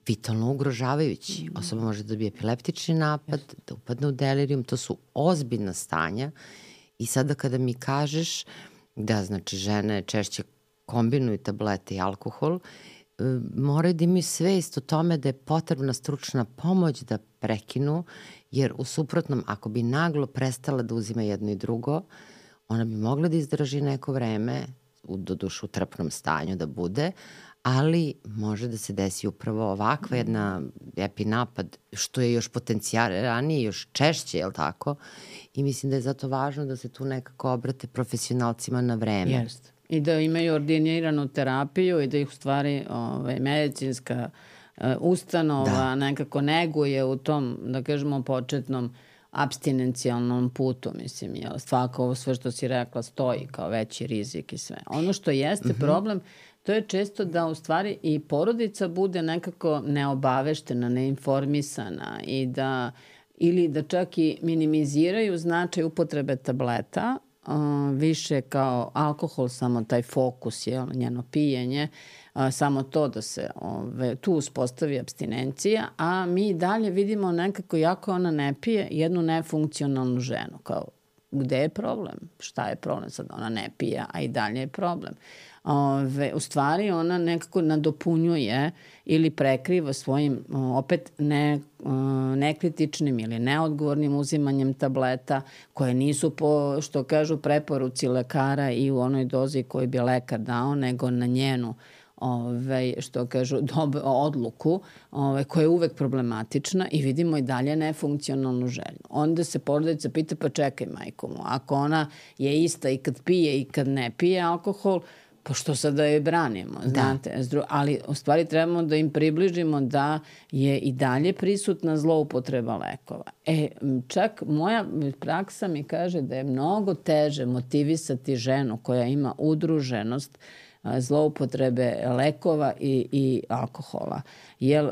Speaker 1: vitalno ugrožavajući. Osoba može da dobije epileptični napad, da upadne u delirijum. To su ozbiljna stanja. I sada kada mi kažeš da, znači, žene češće kombinuju tablete i alkohol, moraju da imaju svest o tome da je potrebna stručna pomoć da prekinu, jer u suprotnom, ako bi naglo prestala da uzima jedno i drugo, ona bi mogla da izdrži neko vreme, doduše u trpnom stanju da bude, ali može da se desi upravo ovakva jedna epinapad, što je još potencijalnije, još češće, je li tako? I mislim da je zato važno da se tu nekako obrate profesionalcima na vreme.
Speaker 3: Jeste. I da imaju ordiniranu terapiju i da ih u stvari medicinska ustanova nekako neguje u tom, da kažemo, početnom apstinencijalnom putu, mislim, jel, svako ovo sve što si rekla stoji kao veći rizik i sve. Ono što jeste problem, to je često da u stvari i porodica bude nekako neobaveštena, neinformisana ili da čak i minimiziraju značaj upotrebe tableta, više kao alkohol, samo taj fokus, njeno pijenje, samo to da se tu uspostavi apstinencija, a mi dalje vidimo nekako jako ona ne pije jednu nefunkcionalnu ženu, kao gde je problem, šta je problem, sad ona ne pije, a i dalje je problem. U stvari ona nekako nadopunjuje ili prekriva svojim opet nekritičnim ili neodgovornim uzimanjem tableta koje nisu po, što kažu, preporuci lekara i u onoj dozi koju bi lekar dao, nego na njenu što kažu, odluku koja je uvek problematična i vidimo i dalje nefunkcionalnu ženu. Onda se porodica pita, pa čekaj, majko mu, ako ona je ista i kad pije i kad ne pije alkohol, pa što sad da je branimo, znate? Ali u stvari trebamo da im približimo da je i dalje prisutna zloupotreba lekova. Čak moja praksa mi kaže da je mnogo teže motivisati ženu koja ima udruženost zloupotrebe lekova i alkohola. Jer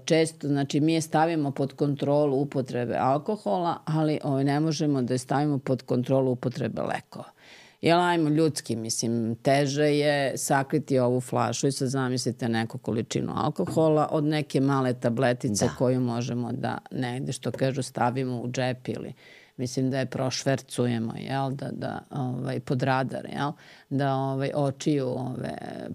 Speaker 3: često, znači, mi je stavimo pod kontrolu upotrebe alkohola, ali ne možemo da je stavimo pod kontrolu upotrebe lekova. Jel, ajmo ljudski, mislim, teže je sakriti ovu flašu i sad zamislite neku količinu alkohola od neke male tabletice koju možemo da negde, što kažu, stavimo u džep ili mislim da je prošvercujemo, jel, da pod radar, jel, da očiju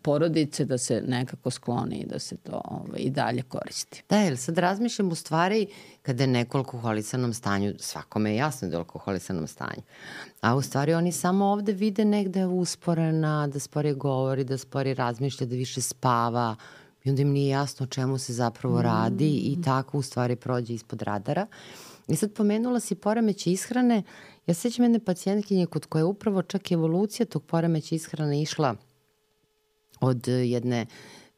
Speaker 3: porodice, da se nekako skloni i da se to i dalje koristi.
Speaker 1: Da, jer sad razmišljam u stvari kada je neko u alkoholisanom stanju, svakome je jasno da je u alkoholisanom stanju, a u stvari oni samo ovde vide negde usporena, da sporije govori, da sporije razmišlja, da više spava. i onda im nije jasno o čemu se zapravo radi i tako u stvari prođe ispod radara. I sad pomenula si poremeće ishrane. Ja sećam jedne pacijentkinje kod koje je upravo čak evolucija tog poremeća ishrane išla od jedne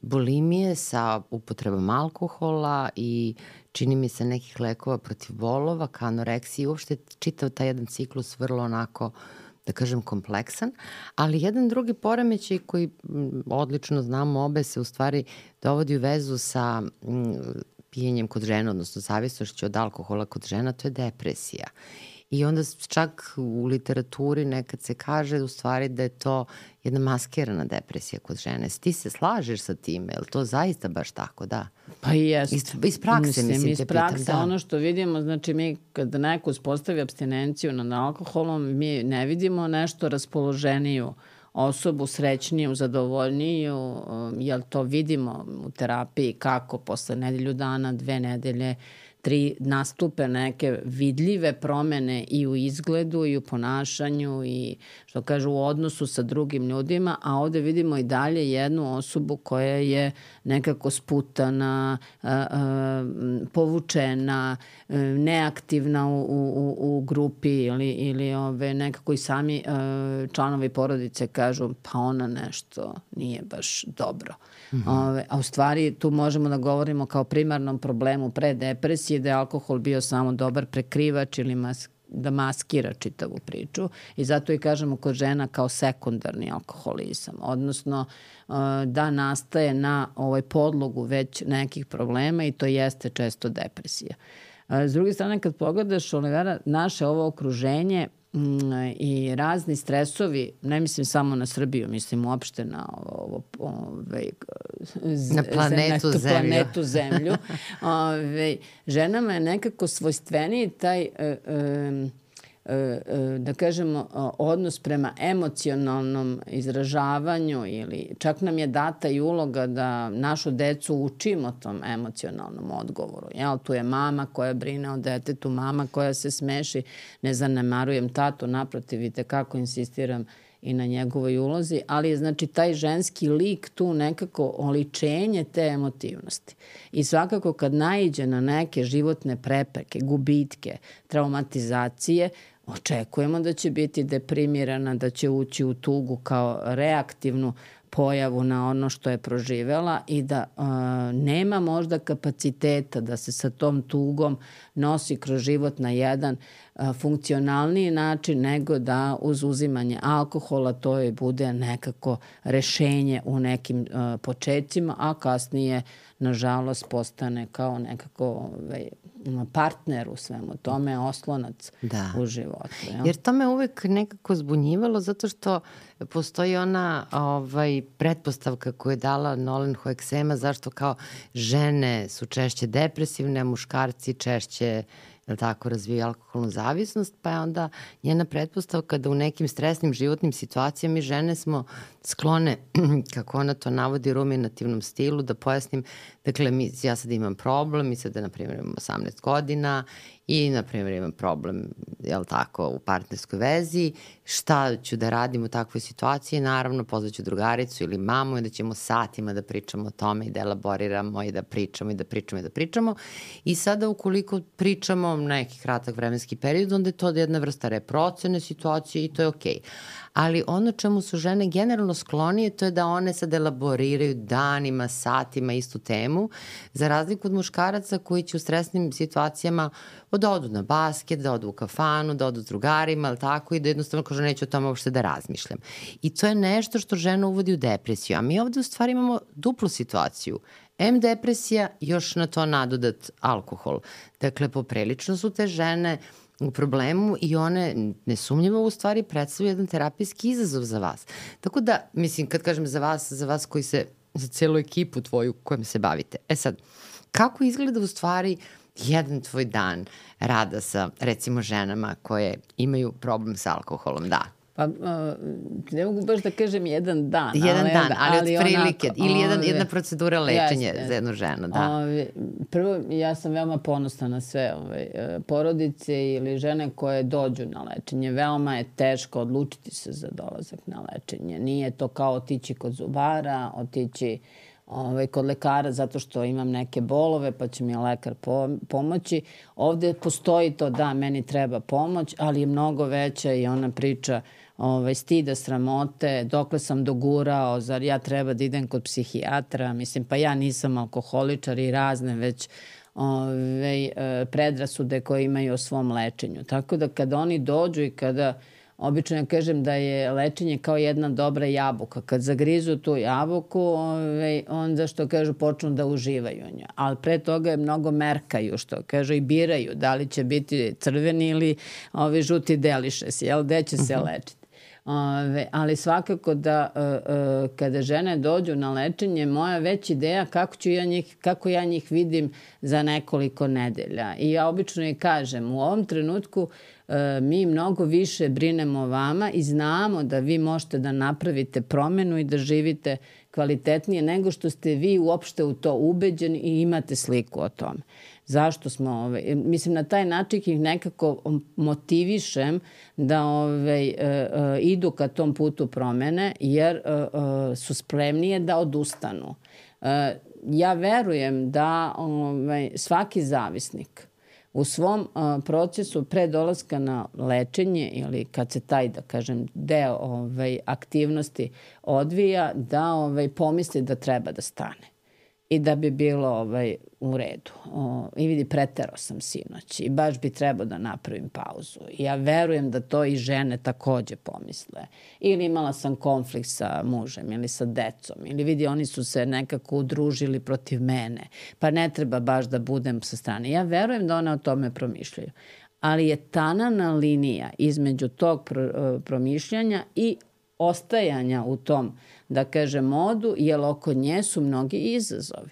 Speaker 1: bulimije sa upotrebom alkohola i čini mi se nekih lekova protiv bolova, ka anoreksiji i uopšte čitav taj jedan ciklus vrlo onako, da kažem, kompleksan, ali jedan drugi poremećaj koji odlično znamo obe se u stvari dovodi u vezu sa pijenjem kod žena, odnosno zavisnošću od alkohola kod žena, to je depresija. I onda čak u literaturi nekad se kaže u stvari da je to jedna maskirana depresija kod žene. Ti se slažeš sa time? Je li to zaista baš tako, da?
Speaker 3: Pa i jest.
Speaker 1: Iz prakse, mislim,
Speaker 3: iz
Speaker 1: te
Speaker 3: prakse,
Speaker 1: pitam, da.
Speaker 3: Ono što vidimo, znači mi kad neko uspostavi abstinenciju nad alkoholom, mi ne vidimo nešto raspoloženiju osobu, srećniju, zadovoljniju, jer to vidimo u terapiji kako posle nedelju dana, 2 nedelje, 3 nastupe neke vidljive promene i u izgledu i u ponašanju i što kažu u odnosu sa drugim ljudima, a ovde vidimo i dalje jednu osobu koja je nekako sputana, povučena, neaktivna u grupi ili nekako i sami članovi porodice kažu pa ona nešto nije baš dobro. A u stvari tu možemo da govorimo kao primarnom problemu pre depresije da je alkohol bio samo dobar prekrivač ili da maskira čitavu priču i zato i kažemo kod žena kao sekundarni alkoholizam, odnosno da nastaje na podlogu već nekih problema i to jeste često depresija. S druge strane, kad pogledaš, Olivera, naše ovo okruženje i razni stresovi, ne mislim samo na Srbiju, mislim uopšte na planetu Zemlju. Ženama je nekako svojstveniji taj da kažemo odnos prema emocionalnom izražavanju ili čak nam je data i uloga da našu decu učimo tom emocionalnom odgovoru. Jel, tu je mama koja brine o detetu, mama koja se smeši, ne zanemarujem tatu, naprotiv i tekako insistiram i na njegovoj ulozi, ali je znači taj ženski lik tu nekako oličenje te emotivnosti. I svakako kad naiđe na neke životne prepreke, gubitke, traumatizacije, očekujemo da će biti deprimirana, da će ući u tugu kao reaktivnu pojavu na ono što je proživela i da nema možda kapaciteta da se sa tom tugom nosi kroz život na jedan funkcionalniji način nego da uz uzimanje alkohola to je bude nekako rešenje u nekim početcima, a kasnije nažalost postane kao nekako partner u svemu tome, oslonac u životu. Jel?
Speaker 1: Jer to me uvek nekako zbunjivalo zato što postoji ona pretpostavka koju je dala Nolan Hoeksema zašto kao žene su češće depresivne, a muškarci češće razvijaju alkoholnu zavisnost, pa je onda njena pretpostavka da u nekim stresnim životnim situacijama žene smo sklone, kako ona to navodi, ruminativnom stilu, da pojasnim, dakle, ja sad imam problem, mi sad, na primjer, imam 18 godina i, na primjer, imam problem, u partnerskoj vezi, šta ću da radim u takvoj situaciji, naravno, pozvaću drugaricu ili mamu i da ćemo satima da pričamo o tome i da elaboriramo i da pričamo. I sada, ukoliko pričamo neki kratak vremenski period, onda je to jedna vrsta reprocene situacije i to je okej. Ali ono čemu su žene generalno sklonije, to je da one sad elaboriraju danima, satima istu temu, za razliku od muškaraca koji će u stresnim situacijama da odu na basket, da odu u kafanu, da odu s drugarima, ali tako, i da jednostavno kažu neću o tome uopšte da razmišljam. I to je nešto što žena uvodi u depresiju. A mi ovde u stvari imamo duplu situaciju. Depresija, još na to nadodat alkohol. Dakle, poprilično su te žene u problemu i one nesumnjivo u stvari predstavljaju jedan terapijski izazov za vas. Tako da, mislim, kad kažem za vas koji se, za celu ekipu tvoju kojom se bavite. Sad, kako izgleda u stvari jedan tvoj dan rada sa, recimo, ženama koje imaju problem sa alkoholom? Da.
Speaker 3: Pa, ne mogu baš da kažem jedan dan.
Speaker 1: Ali otprilike. Ili jedna procedura lečenja za jednu ženu, da.
Speaker 3: Prvo, ja sam veoma ponosna na sve porodice ili žene koje dođu na lečenje. Veoma je teško odlučiti se za dolazak na lečenje. Nije to kao otići kod zubara, otići kod lekara zato što imam neke bolove pa će mi lekar pomoći. Ovde postoji to da meni treba pomoć, ali je mnogo veća i ona priča stida, sramote, dokle sam dogurao, zar ja treba da idem kod psihijatra, mislim pa ja nisam alkoholičar i razne već predrasude koje imaju o svom lečenju. Tako da kada oni dođu i kada, obično ja kažem da je lečenje kao jedna dobra jabuka. Kad zagrizu tu jabuku, onda što kažu počnu da uživaju u njoj. Ali pre toga je mnogo merkaju, što kažu i biraju da li će biti crveni ili žuti delišes, jel, gde će se lečiti. Ali svakako da kada žene dođu na lečenje, moja već ideja kako ja njih vidim za nekoliko nedelja. I ja obično i kažem, u ovom trenutku mi mnogo više brinemo o vama i znamo da vi možete da napravite promenu i da živite kvalitetnije nego što ste vi uopšte u to ubeđeni i imate sliku o tome. Zašto smo, mislim na taj način ih nekako motivišem da idu ka tom putu promene jer su spremnije da odustanu. Ja verujem da svaki zavisnik u svom procesu pre dolaska na lečenje ili kad se taj, da kažem, deo aktivnosti odvija, da pomisli da treba da stane i da bi bilo u redu. I vidi, preterao sam sinoć i baš bi trebao da napravim pauzu. I ja verujem da to i žene takođe pomisle. Ili imala sam konflikt sa mužem ili sa decom. Ili vidi, oni su se nekako udružili protiv mene. Pa ne treba baš da budem sa strane. Ja verujem da one o tome promišljaju. Ali je tanana linija između tog promišljanja i ostajanja u tom, da kažem, modu, jer oko nje su mnogi izazovi.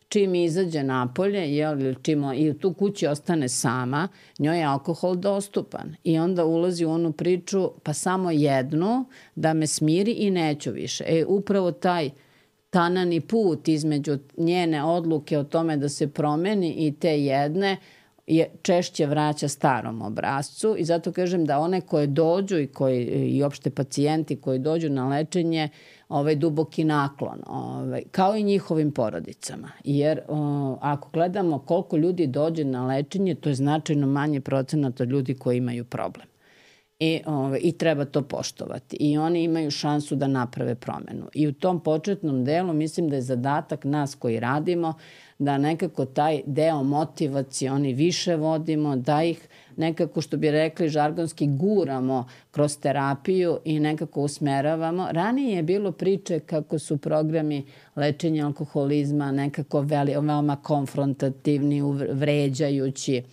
Speaker 3: Čim izađe napolje, čim i u tu kući ostane sama, njoj je alkohol dostupan. I onda ulazi u onu priču, pa samo jednu, da me smiri i neću više. Upravo taj tanani put između njene odluke o tome da se promeni i te jedne, je češće vraća starom obrascu i zato kažem da one koje dođu i opšte pacijenti koji dođu na lečenje, duboki naklon, kao i njihovim porodicama. Jer ako gledamo koliko ljudi dođe na lečenje, to je značajno manje procenat od ljudi koji imaju problem. I treba to poštovati. I oni imaju šansu da naprave promenu. I u tom početnom delu mislim da je zadatak nas koji radimo da nekako taj deo motivacioni više vodimo, da ih nekako, što bi rekli žargonski, guramo kroz terapiju i nekako usmeravamo. Ranije je bilo priče kako su programi lečenja alkoholizma nekako veoma konfrontativni, vređajući.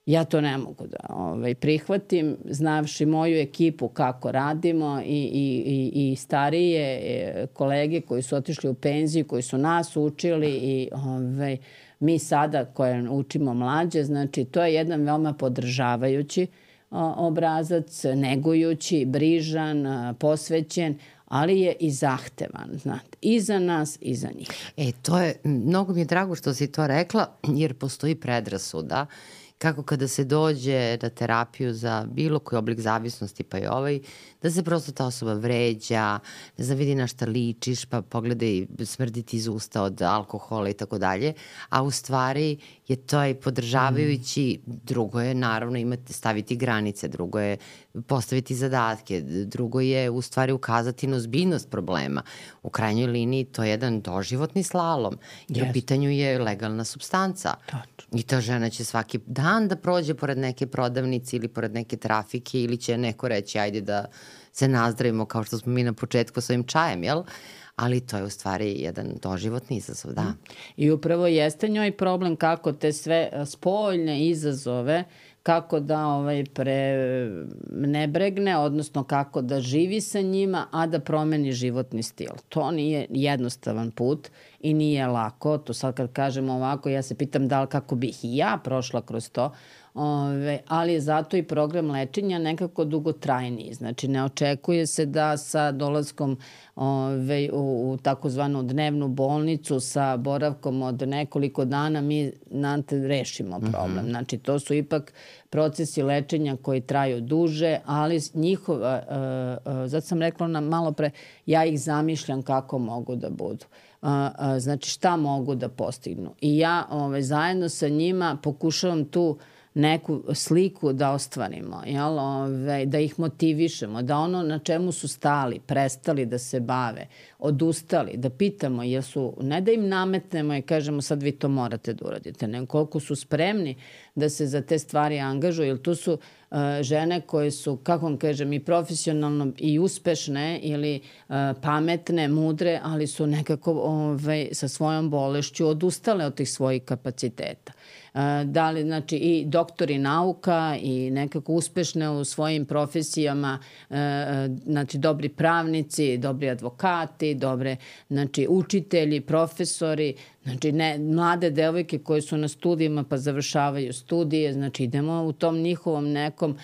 Speaker 3: Ja to ne mogu da prihvatim, znavši moju ekipu kako radimo i starije kolege koji su otišli u penziju, koji su nas učili i mi sada koje učimo mlađe, znači to je jedan veoma podržavajući obrazac, negujući, brižan, posvećen, ali je i zahtevan, znate, i za nas i za njih.
Speaker 1: To je, mnogo mi je drago što si to rekla, jer postoji predrasuda kako kada se dođe na terapiju za bilo koji oblik zavisnosti, pa i da se prosto ta osoba vređa, ne znam, vidi na šta ličiš, pa pogledaj, smrdi ti iz usta od alkohola i tako dalje, a u stvari je to podržavajući, drugo je naravno staviti granice, drugo je postaviti zadatke, drugo je u stvari ukazati na ozbiljnost problema. U krajnjoj liniji to je jedan doživotni slalom, jer u pitanju je legalna supstanca. I ta žena će svaki dan da prođe pored neke prodavnice ili pored neke trafike ili će neko reći ajde da se nazdravimo kao što smo mi na početku s ovim čajem, jel? Ali to je u stvari jedan doživotni izazov, da.
Speaker 3: I upravo jeste njoj problem kako te sve spoljne izazove, kako da ne bregne, odnosno kako da živi sa njima, a da promeni životni stil. To nije jednostavan put i nije lako. To sad kad kažemo ovako, ja se pitam da li kako bih i ja prošla kroz to, Ali je zato i program lečenja nekako dugotrajniji. Znači, ne očekuje se da sa dolaskom u takozvanu dnevnu bolnicu sa boravkom od nekoliko dana mi rešimo problem. Znači, to su ipak procesi lečenja koji traju duže, ali zato sam rekla malo pre, ja ih zamišljam kako mogu da budu. Znači, šta mogu da postignu. I ja zajedno sa njima pokušavam tu neku sliku da ostvarimo, da ih motivišemo, da ono na čemu su stali, prestali da se bave, odustali, da pitamo ne da im nametnemo i kažemo sad vi to morate da uradite, nego koliko su spremni da se za te stvari angažuju, jer tu su žene koje su, kako vam kažem, i profesionalno i uspešne ili pametne, mudre, ali su nekako sa svojom bolešću odustale od tih svojih kapaciteta. Znači i doktori nauka i nekako uspešne u svojim profesijama, znači dobri pravnici, dobri advokati, dobre učitelji, profesori, znači mlade devojke koje su na studijima pa završavaju studije, znači idemo u tom njihovom nekom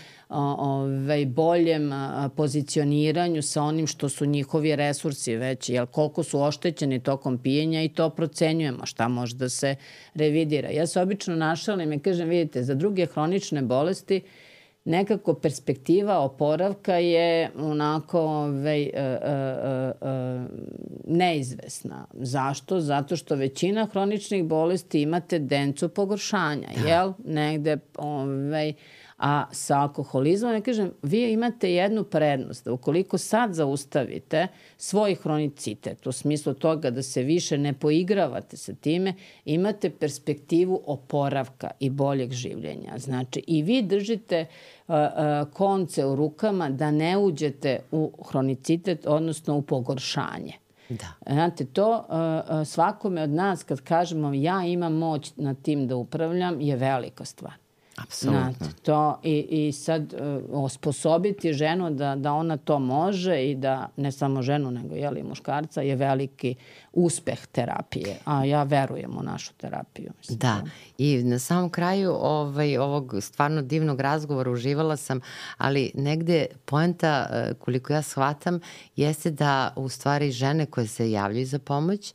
Speaker 3: boljem pozicioniranju sa onim što su njihovi resursi već, jer koliko su oštećeni tokom pijenja i to procenjujemo, šta može da se revidira. Ja se obično našalim i kažem, vidite, za druge hronične bolesti nekako perspektiva oporavka je onako neizvesna. Zašto? Zato što većina hroničnih bolesti ima tendenciju pogoršanja, jel? Negde, a sa alkoholizmom, ja kažem, vi imate jednu prednost, da ukoliko sad zaustavite svoj hronicitet, u smislu toga da se više ne poigravate sa time, imate perspektivu oporavka i boljeg življenja. Znači, i vi držite konce u rukama da ne uđete u hronicitet, odnosno u pogoršanje.
Speaker 1: Da.
Speaker 3: Znate, to svakome od nas, kad kažemo ja imam moć nad tim da upravljam, je velika stvar.
Speaker 1: Apsolutno.
Speaker 3: To i sad osposobiti ženu da ona to može i da ne samo ženu nego i muškarca je veliki uspeh terapije, a ja verujem u našu terapiju. Mislim.
Speaker 1: Da, i na samom kraju ovog stvarno divnog razgovora uživala sam, ali negde poenta, koliko ja shvatam, jeste da u stvari žene koje se javljaju za pomoć,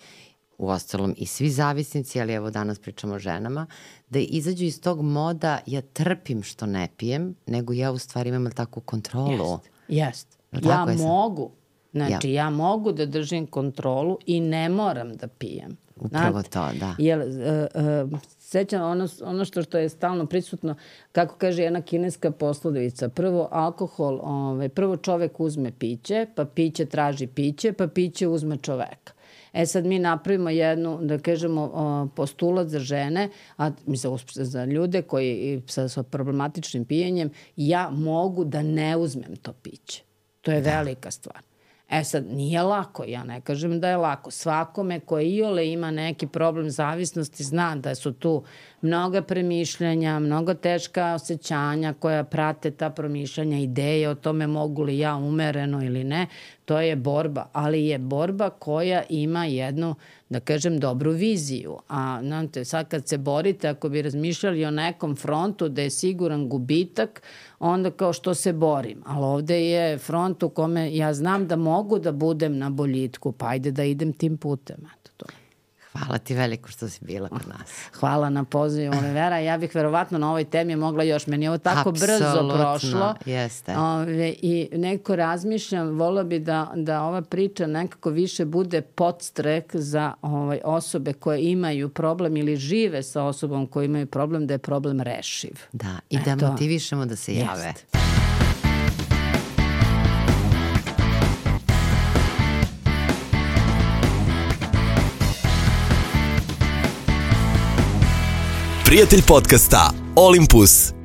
Speaker 1: uostalom i svi zavisnici, ali evo danas pričamo o ženama, da izađu iz tog moda ja trpim što ne pijem, nego ja u stvari imam takvu kontrolu.
Speaker 3: Jest. Ja mogu. Znači, ja mogu da držim kontrolu i ne moram da pijem.
Speaker 1: Upravo to, da.
Speaker 3: Jer, sećam ono što je stalno prisutno, kako kaže jedna kineska poslovica, prvo alkohol, prvo čovek uzme piće, pa piće traži piće, pa piće uzme čoveka. Sad mi napravimo jednu, da kažemo, postulat za žene, a za ljude koji sa problematičnim pijenjem, ja mogu da ne uzmem to piće. To je velika stvar. Sad, nije lako, ja ne kažem da je lako. Svakome koji iole ima neki problem zavisnosti zna da su tu mnoga premišljanja, mnogo teška osjećanja koja prate ta promišljanja, ideje o tome mogu li ja umereno ili ne. To je borba, ali je borba koja ima jednu, da kažem, dobru viziju. A znate, sad kad se borite, ako bi razmišljali o nekom frontu da je siguran gubitak, onda kao što se borim. Ali ovde je front u kome ja znam da mogu da budem na boljitku, pa ajde da idem tim putem.
Speaker 1: Hvala ti veliko što si bila kod nas.
Speaker 3: Hvala na pozivu, Olivera. Ja bih verovatno na ovoj temi mogla još. Meni je ovo tako brzo prošlo.
Speaker 1: Jeste.
Speaker 3: I neko razmišljam, volila bi da ova priča nekako više bude podstrek za osobe koje imaju problem ili žive sa osobom koji imaju problem, da je problem rešiv.
Speaker 1: Da, i da motivišemo da se jave.
Speaker 3: Jeste.
Speaker 2: Prijatelj podcasta Olympus.